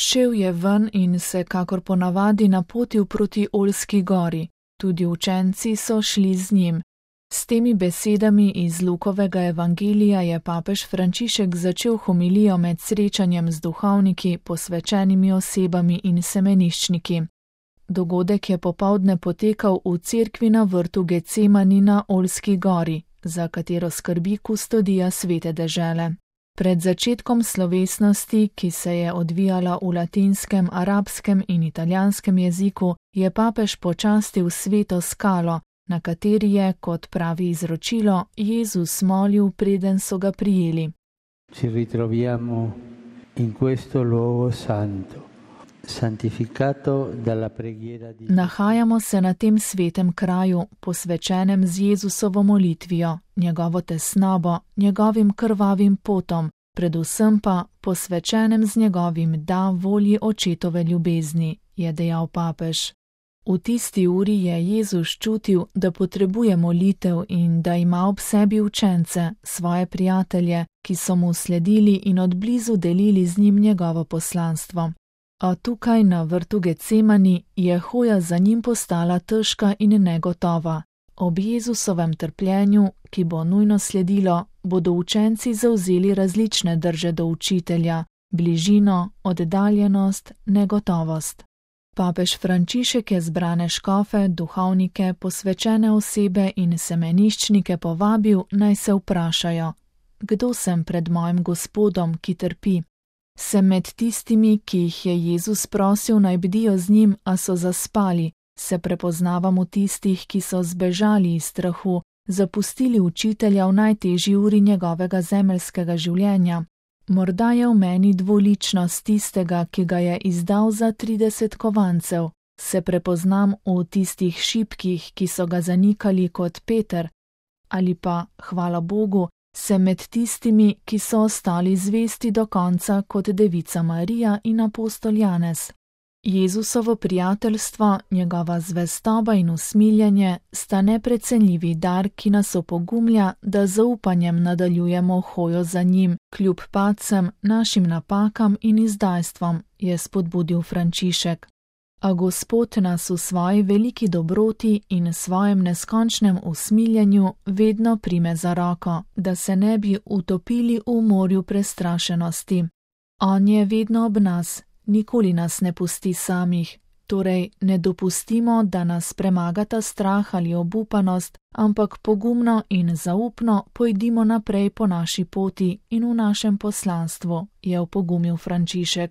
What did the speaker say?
Šel je ven in se kakor ponavadi napotil proti Oljski gori. Tudi učenci so šli z njim. S temi besedami iz Lukovega evangelija je papež Frančišek začel homilijo med srečanjem z duhovniki, posvečenimi osebami in semeniščniki. Dogodek je popoldne potekal v cerkvi na vrtu Getsemani na Oljski gori, za katero skrbi kustodija Svete dežele. Pred začetkom slovesnosti, ki se je odvijala v latinskem, arabskem in italijanskem jeziku, je papež počastil sveto skalo, na kateri je, kot pravi izročilo, Jezus molil, preden so ga prijeli. Ci ritroviamo in questo luogo santo, santificato dalla preghiera di... Nahajamo se na tem svetem kraju, posvečenem z Jezusovo molitvijo, njegovo tesnobo, njegovim krvavim potom, predvsem pa posvečenem z njegovim da volji očetove ljubezni, je dejal papež. V tisti uri je Jezus čutil, da potrebuje molitev in da ima ob sebi učence, svoje prijatelje, ki so mu sledili in od blizu delili z njim njegovo poslanstvo. A tukaj na vrtu Getsemani je hoja za njim postala težka in negotova. Ob Jezusovem trpljenju, ki bo nujno sledilo, bodo učenci zavzeli različne drže do učitelja, bližino, oddaljenost, negotovost. Papež Frančišek je zbrane škofe, duhovnike, posvečene osebe in semeniščnike povabil, naj se vprašajo: kdo sem pred mojim Gospodom, ki trpi? Sem med tistimi, ki jih je Jezus prosil, naj bdijo z njim, a so zaspali? Se prepoznavam v tistih, ki so zbežali iz strahu, zapustili učitelja v najtežji uri njegovega zemeljskega življenja? Morda je v meni dvoličnost tistega, ki ga je izdal za 30 kovancev. Se prepoznam v tistih šibkih, ki so ga zanikali kot Peter? Ali pa, hvala Bogu, sem med tistimi, ki so ostali zvesti do konca kot devica Marija in apostol Janez? Jezusovo prijateljstvo, njegova zvestoba in usmiljenje sta neprecenljivi dar, ki nas opogumlja, da z zaupanjem nadaljujemo hojo za njim, kljub padcem, našim napakam in izdajstvom, je spodbudil Frančišek. A Gospod nas v svoji veliki dobroti in svojem neskončnem usmiljenju vedno prime za roko, da se ne bi utopili v morju prestrašenosti. On je vedno ob nas. Nikoli nas ne pusti samih, torej ne dopustimo, da nas premagata strah ali obupanost, ampak pogumno in zaupno pojdimo naprej po naši poti in v našem poslanstvu, je opogumil Frančišek.